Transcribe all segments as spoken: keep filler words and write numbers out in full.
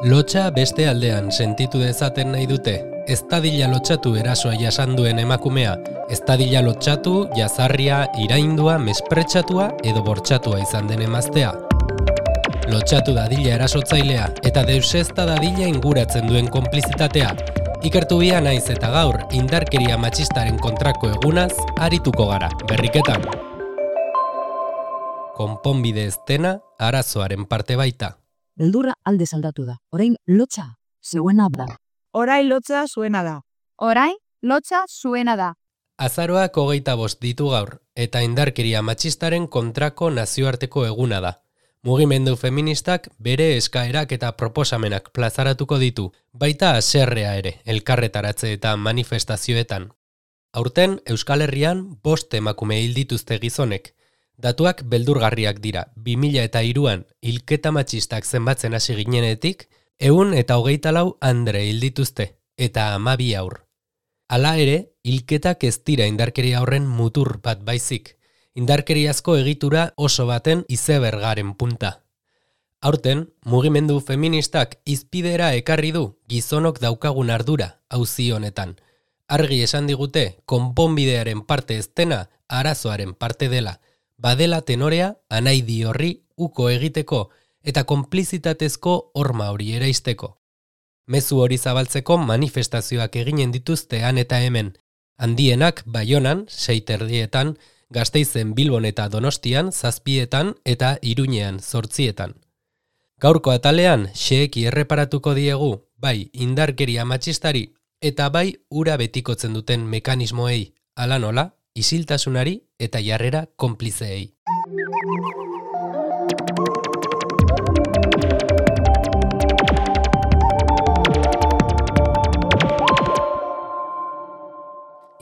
Lotsa beste aldean sentitu dezaten nahi dute, ez dadila lotxatu erasoa jasan duen emakumea, ez dadila lotxatu, jazarria, iraindua, mespretxatua edo bortxatua izan den emaztea. Lotxatu dadila erasotzailea eta deusezta dadila inguratzen duen konplizitatea. Ikertu bia naiz eta gaur indarkeria matxistaren kontrako egunaz arituko gara, berriketan. Konponbide ez dena arazoaren parte baita. Beldurra alde aldatu da. Orain lotsa zuena da. Orain lotsa zuena da. Orain lotsa zuena da. Azaroak hogeita bost ditu gaur, eta indarkeria matxistaren kontrako nazioarteko eguna da. Mugimendu feministak bere eskaerak eta proposamenak plazaratuko ditu, baita haserrea ere, elkarretaratze eta manifestazioetan. Aurten, Euskal Herrian bost emakume hil dituzte gizonek. Datuak beldurgarriak dira, bi mila eta hiruan hilketa matxistak zenbatzen hasi ginenetik, ehun eta hogeita lau andre hil dituzte, eta hamabi haur. Hala ere, hilketak ez dira indarkeria horren mutur bat baizik, indarkeriazko egitura oso baten izebergaren punta. Aurten, mugimendu feministak izpidera ekarri du gizonok daukagun ardura auzi honetan. Argi esan digute, konponbidearen parte ez dena, arazoaren parte dela, badela tenorea anaidi horri uko egiteko eta konplizitatezko horma hori eraisteko. Mezu hori zabaltzeko manifestazioak eginen dituzte han eta hemen, handienak Baionan, sei terdietan, Gasteizen, Bilbon eta Donostian, zazpietan eta Iruñean, zortzietan. Gaurko atalean, xeeki erreparatuko diegu, bai indarkeria matxistari eta bai ura betikotzen duten mekanismoei, ala nola, isiltasunari eta jarrera konplizeei.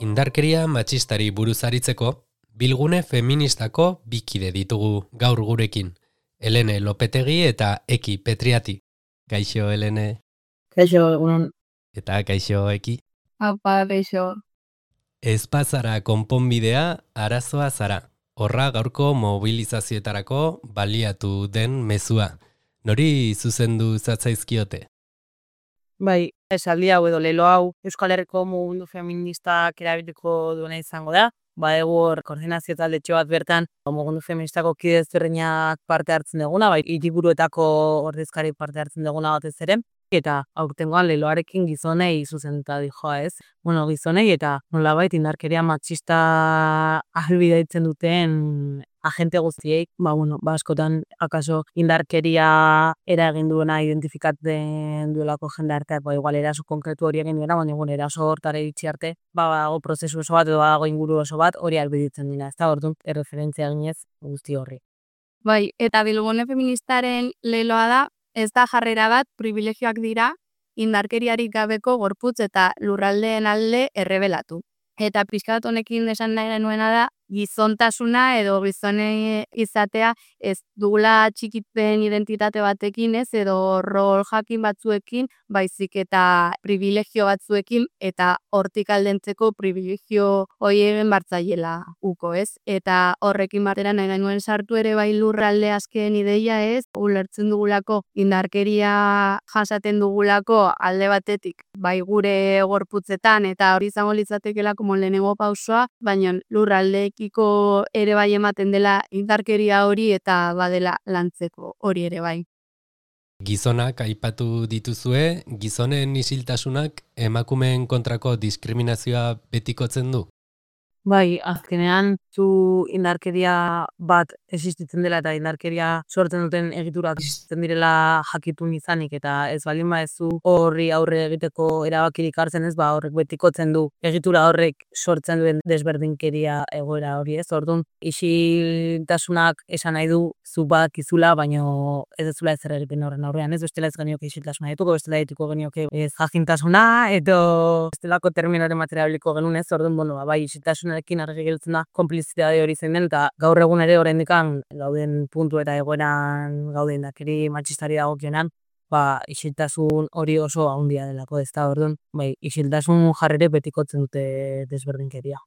Indarkeria matxistari buruz aritzeko, bilgune feministako bikide ditugu gaur gurekin. Helene Lopetegi eta Eki Petriati. Kaixo, Helene. Kaixo, egunon. Eta kaixo, Eki. Apa, kaixo. Ez bazara konponbidea, arazoa zara. Horra gaurko mobilizazioetarako baliatu den mezua. Nori zuzendu zatzaizkiote? Bai, esaldi hau edo lelo hau Euskal Herriko mugimendu feministak erabiliko duena izango da. Ba, egur koordinazio taldetxo bat bertan mugimendu feministako kide ezberdinak parte hartzen duguna, bai, hiriburuetako ordezkari parte hartzen duguna batez ere. Eta aurtengoan leloarekin gizonei zuzenduta dijoa, ez? Bueno, gizonei eta nolabait indarkeria matxista ahalbidaitzen duten agente guztiei, ba, bueno, ba, askotan akaso indarkeria eragin duena identifikatzen duelako jendarteak, ba, igual eraso konkretu hori egin duena, baina bueno, eraso hortara iritsi arte, ba, dago prozesu oso bat edo dago inguru oso bat hori ahalbiditzen dira, ez da, orduan erreferentzia eginez guzti horri. Bai, eta bilgune feministaren leloa da, ez da jarrera bat, privilegioak dira, indarkeriarik gabeko gorputz eta lurraldeen alde errebelatu. Eta pixkat honekin esan nahi nuena da, gizontasuna edo gizone izatea ez dugula txikipen identitate batekin, ez, edo rol jakin batzuekin, baizik eta privilegio batzuekin, eta hortik aldentzeko privilegio hori egin bartzaiela uko, ez? Eta horrekin batera nahi nuen sartu ere bai lurralde azken ideia, ez? Ulertzen dugulako indarkeria jasaten dugulako alde batetik, bai gure gorputzetan, eta hori izango litzatekeela como lehenengo pausoa, baina lurraldeekiko ere bai ematen dela indarkeria hori eta badela lantzeko hori ere bai. Gizonak aipatu dituzue, gizonen isiltasunak emakumeen kontrako diskriminazioa betikotzen du? Bai, azkenean zu indarkeria bat existitzen dela eta indarkeria sortzen duten egiturak existitzen direla jakitun izanik eta ez baldin badezu horri aurre egiteko erabakirik hartzen ez, ba horrek betikotzen du egitura horrek sortzen duen desberdinkeria egoera hori ez. Orduan, isiltasunak esan nahi du zu badakizula, baino ez dezula ezer egiten horren aurrean, ez bestela ez genioke isiltasuna dituko, bestela dituko genioke ez jakintasuna edo bestelako terminoren materialiko genuen ez. Orduan, bueno, bai, isiltasunarekin argi gelditzen da konplizitate hori zein den, eta gaur egun ere oraindikan gauden puntu eta egoeran gauden indarkeri matxistari dagokionean, ba, isiltasun hori oso handia delako ez da, orduan, bai, isiltasun jarrere betikotzen dute desberdinkeria.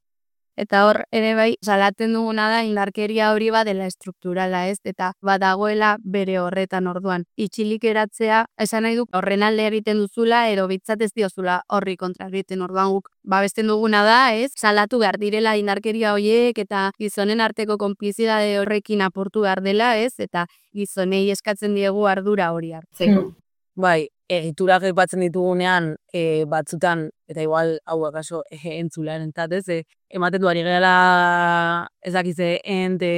Eta hor ere bai salatzen duguna da indarkeria hori badela estrukturala, ez? Eta badagoela bere horretan orduan. Itxilik eratzea, esan nahi du horren alde egiten duzula edo bitzat ez diozula horri kontra egiten orduan guk babesten duguna da, ez? Salatu behar direla indarkeria horiek eta gizonen arteko konplizidade horrekin apurtu behar dela, ez? Eta gizonei eskatzen diegu ardura hori hartzeko. Hmm. Bai, egiturak aipatzen ditugunean e, batzutan, eta igual hau akaso e, entzularen entzat, ez? E, ematen du ari gehala ez dakize ente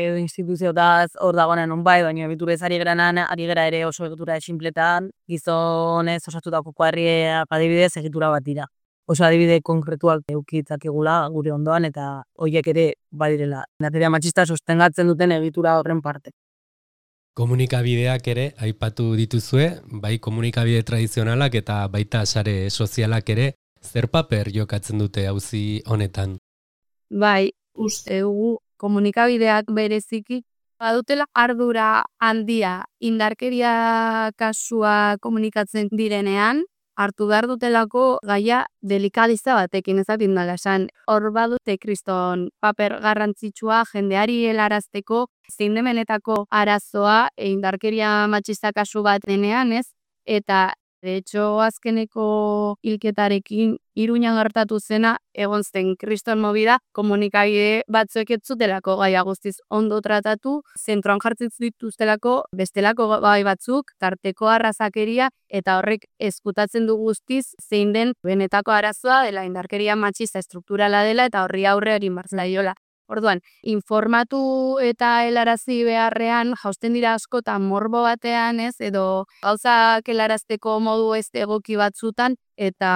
edo instituziotaz hor dagoenan on bai, baina egiturez ari geranan, ari gera ere oso egitura esinpletan, gizonez osatutako kuadriak adibidez egitura bat dira. Oso adibide konkretuak eukitzakegula gure ondoan eta horiek ere badirela. Indarkeria matxista sostengatzen duten egitura horren parte. Komunikabideak ere aipatu dituzue, bai komunikabide tradizionalak eta baita sare sozialak ere, zer paper jokatzen dute auzi honetan? Bai, uste dugu komunikabideak bereziki badutela ardura handia indarkeria kasua komunikatzen direnean, hartu behar dutelako gaia delikadiza batekin ezatin dala esan. Hor badute kriston paper garrantzitsua jendeari helarazteko zein demenetako arazoa indarkeria matxista kasu bat denean, ez? Eta de hecho azkeneko hilketarekin Iruñan gertatu zena egon zen kriston movida komunikabide batzuek ez zutelako gaia guztiz ondo tratatu, zentroan jartzen dituztelako bestelako gai batzuk, tarteko arrazakeria eta horrek ezkutatzen du guztiz zein den benetako arazoa dela indarkeria matxista estrukturala dela eta horri aurre egin behar zaiola. Orduan, informatu eta helarazi beharrean jausten dira askotan morbo batean, ez, edo gauzak helarazteko modu ez egoki batzutan, eta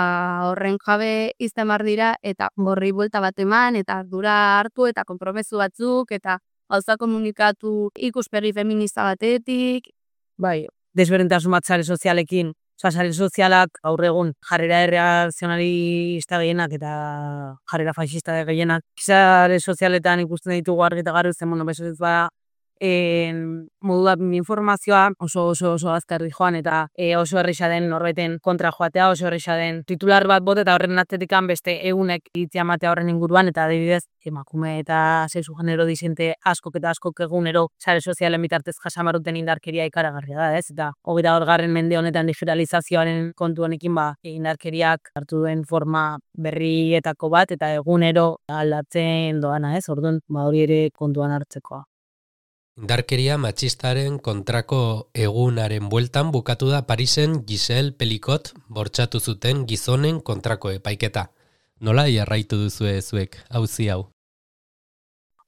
horren jabe izan behar dira, eta horri buelta bat eman, eta ardura hartu, eta konpromezu batzuk, eta gauza komunikatu ikuspegi feminista batetik. Bai, desberdintasun bat sare sozialekin, oza, sare sozialak gaur egun jarrera erreakzionalista gehienak eta jarrera faxista gehienak. Sare sozialetan ikusten ditugu argi eta garbi zen, bueno, beso ez bada, en, modu da informazioa oso oso oso azkarri joan eta e, oso erresa den norbeten kontra joatea, oso erresa den titular bat bot eta horren atzetikan beste egunek iritzia matea horren inguruan eta adibidez emakume eta sexu genero disente askok eta askok egunero sare sozialen bitartez jasamaruten indarkeria ikaragarria da, ez? Eta hogeita bat mende honetan digitalizazioaren kontu honekin ba indarkeriak hartu duen forma berrietako bat eta egunero aldatzen doana, ez? Orduan ba hori ere kontuan hartzekoa. Indarkeria matxistaren kontrako egunaren bueltan bukatu da Parisen Giselle Pelicot bortxatu zuten gizonen kontrako epaiketa. Nola jarraitu duzue zuek auzi hau?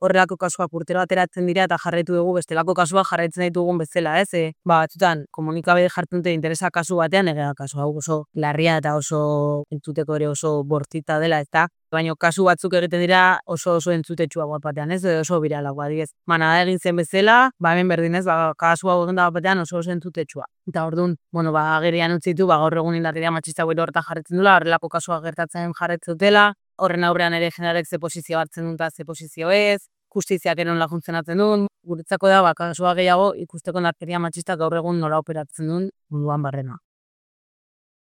Horrelako kasuak urtero ateratzen dira eta jarraitu dugu bestelako kasuak jarraitzen ditugun bezala, ez? E, ba, batzutan, komunikabide jartzen dute interesa kasu batean, egea kasu hau oso larria eta oso entzuteko ere oso bortita dela, eta baina kasu batzuk egiten dira oso oso entzutetsua bat batean, ez? Edo oso biralago, adibidez. Manada egin zen bezala, ba hemen berdinez, ba kasu hau egin da batean oso oso entzutetsua. Eta orduan, bueno, ba agerian utzitu, ba gaur egun indarkeria matxista gero horta jarraitzen dula, horrelako kasuak gertatzen jarraitzen dutela, horren aurrean ere jendarek ze posizio hartzen dut eta ze posizio ez, justiziak eron laguntzen duen, guretzako da, ba, kasua gehiago ikusteko indarkeria matxista gaur egun nola operatzen duen munduan barrena.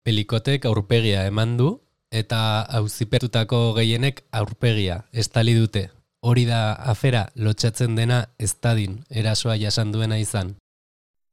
Pelikotek aurpegia eman du, eta auzipertutako gehienek aurpegia estali dute. Hori da afera lotxatzen dena ez dadin erasoa jasan duena izan.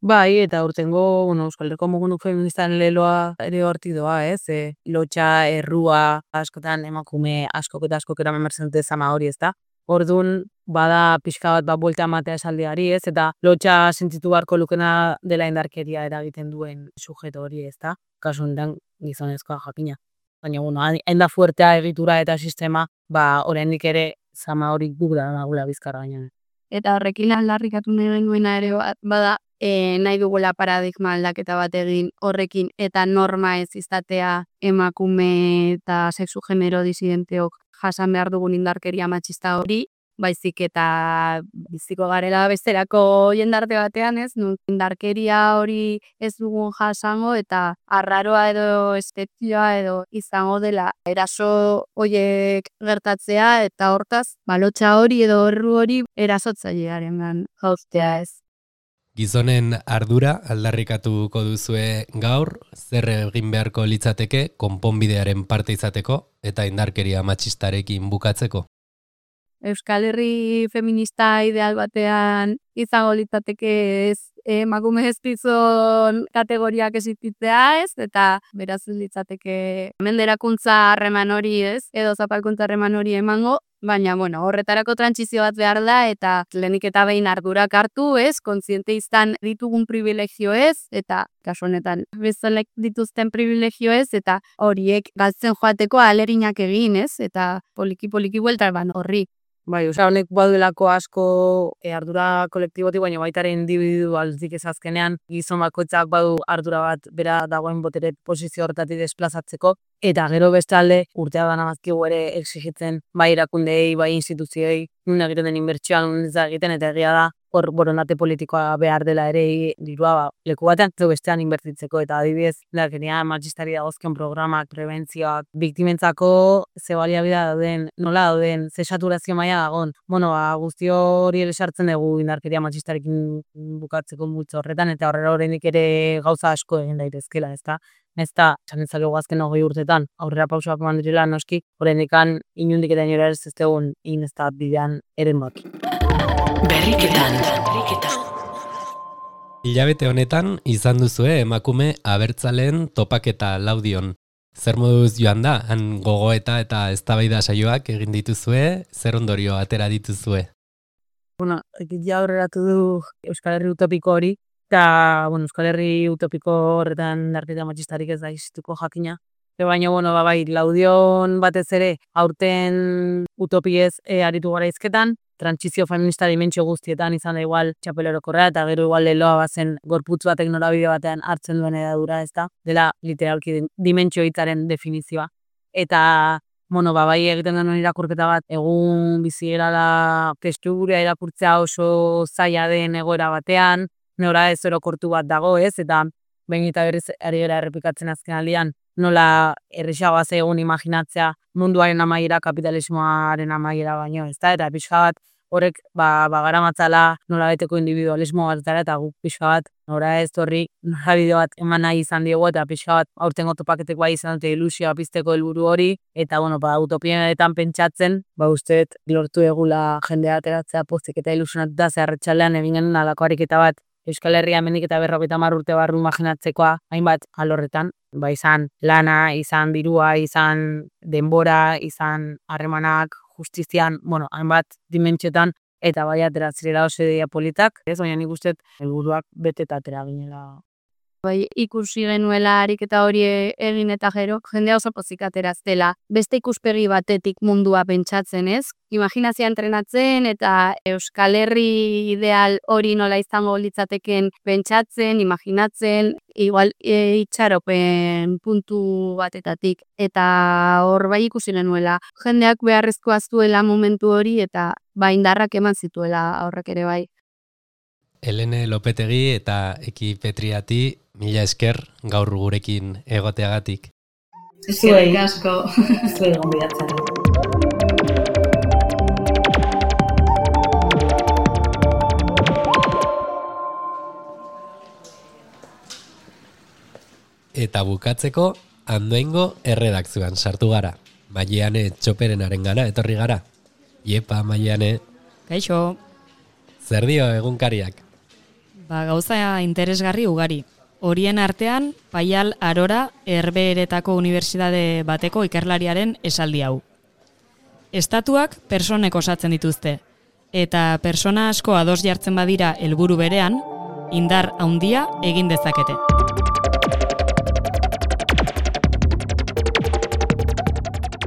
Bai, eta urtengo, bueno, Euskal Herriko mugimendu feministaren leloa ere hortik doa, ez? E, lotxa, errua, askotan emakume askok eta askok eramen mertzen dute zama hori, ez da? Orduan, bada pixka bat bat buelta ematea esaldiari, ez? Eta lotxa sentitu beharko lukena dela indarkeria eragiten duen sujeto hori, ez da? Kasu honetan gizonezkoa jakina. Baina, bueno, hain da fuertea egitura eta sistema, ba, oraindik ere zama hori guk da nagula bizkarra gaina. Eta horrekin aldarrikatu nahi genuena ere bada, e, nahi dugula paradigma aldaketa bat egin horrekin eta norma ez izatea emakume eta sexu genero disidenteok jasan behar dugun indarkeria matxista hori, baizik eta biziko garela besterako jendarte batean, ez? Indarkeria hori ez dugun jasango eta arraroa edo estetioa edo izango dela eraso horiek gertatzea eta hortaz, balotxa hori edo erru hori erasotzailearengan jauztea, ez? Gizonen ardura aldarrikatuko duzue gaur, zer egin beharko litzateke konponbidearen parte izateko eta indarkeria matxistarekin bukatzeko? Euskal Herri feminista ideal batean izango litzateke ez emakume ezpizon kategoriak existitzea ez, eta beraz litzateke menderakuntza harreman hori ez, edo zapalkuntza harreman hori emango, baina bueno, horretarako trantsizio bat behar da, eta lehenik eta behin ardurak hartu ez, kontziente izan ditugun privilegio ez, eta kasu honetan bezalek dituzten privilegio ez, eta horiek galtzen joateko ahalerinak egin ez, eta poliki-poliki buelta ban horri. Bai, osea, honek baduelako asko e, ardura kolektibotik, baina baita ere individualzik ez azkenean, gizon bakoitzak badu ardura bat bera dagoen botere posizio horretatik desplazatzeko, eta gero bestalde urtea dana bazkigu ere exigitzen bai erakundei, bai instituzioei, nun egiten den inbertsioa, nun ez da egiten, eta egia da, hor borondate politikoa behar dela ere dirua ba, leku batean edo bestean inbertitzeko, eta adibidez, indarkeria matxistari dagozkion programak, prebentzioak, biktimentzako ze baliabidea dauden, nola dauden, ze saturazio maila dagoen. Bueno, ba, guzti hori esartzen dugu indarkeria matxistarekin bukatzeko multzo horretan, eta horrela oraindik ere gauza asko egin daitezkela, ezta? Ez da, esan ezakegu azken hogei urtetan, aurrera pausoak eman direla noski, oraindikan inundik eta inora ez ez dugun in ez da bidean eremuak. Berriketan. Hilabete honetan izan duzue emakume abertzaleen topaketa Laudion. Zer moduz joan da, han gogoeta eta eztabaida saioak egin dituzue, zer ondorio atera dituzue? Bueno, ja aurreratu du Euskal Herri utopiko hori, eta bueno, Euskal Herri utopiko horretan indarkeria matxistarik ez da existituko jakina. Baina, bueno, ba, bai, Laudion batez ere aurten utopiez e, aritu gara izketan, trantsizio feminista dimentsio guztietan izan da igual txapelorokorra, eta gero igual leloa bazen gorputz batek norabide batean hartzen duen edadura, ez da, dela literalki dimentsio hitzaren definizioa. Eta, bueno, ba, bai egiten den irakurketa bat, egun bizi gerala testuguria irakurtzea oso zaila den egoera batean, nora ez orokortu bat dago, ez, eta behin eta berriz ari gara errepikatzen azken aldian, nola errexagoa egun imaginatzea munduaren amaiera, kapitalismoaren amaiera baino, ez da, eta pixka bat horrek ba, ba garamatzala nola beteko individualismo bat dara, eta guk pixka bat nora ez horri nora bideo bat eman nahi izan diegu, eta pixka bat aurtengo topaketek bai izan dute ilusioa pizteko helburu hori, eta bueno, ba, utopienetan pentsatzen, ba usteet lortu egula jendea ateratzea pozik eta ilusionatuta zeharretxalean egin genuen alako ariketa bat Euskal Herria hemendik eta berrogeita hamar urte barru imaginatzekoa hainbat alorretan, ba izan lana, izan dirua, izan denbora, izan harremanak, justizian, bueno, hainbat dimentsiotan, eta bai atera zirela oso ideia politak, ez, baina nik uste helburuak bete eta atera ginela. Bai, ikusi genuela ariketa hori egin eta gero, jendea oso pozik ateraztela. Beste ikuspegi batetik mundua pentsatzen, ez? Imaginazioa entrenatzen eta Euskal Herri ideal hori nola izango litzateken pentsatzen, imaginatzen, igual e, itxaropen puntu batetatik. Eta hor bai ikusi genuela, jendeak beharrezkoa zuela momentu hori eta ba indarrak eman zituela horrek ere bai. Helene Lopetegi eta Eki Petriati, mila esker gaur gurekin egoteagatik. Eskerrik asko. Zuei gonbidatzen. Eta bukatzeko, Andoaingo erredakzioan sartu gara. Maileane Txoperenaren gana etorri gara. Iepa, Maileane. Kaixo. Zer dio egunkariak? Ba, gauza interesgarri ugari. Horien artean, Paial Arora Herbeheretako Unibertsitate bateko ikerlariaren esaldi hau. Estatuak personek osatzen dituzte, eta persona asko ados jartzen badira helburu berean, indar handia egin dezakete.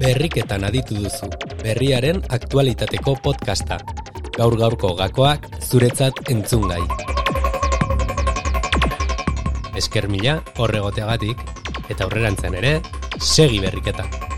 Berriketan aditu duzu, berriaren aktualitateko podcasta. Gaur gaurko gakoak zuretzat entzungai. Esker mila horregoteagatik, eta aurrerantzean ere, segi berriketan.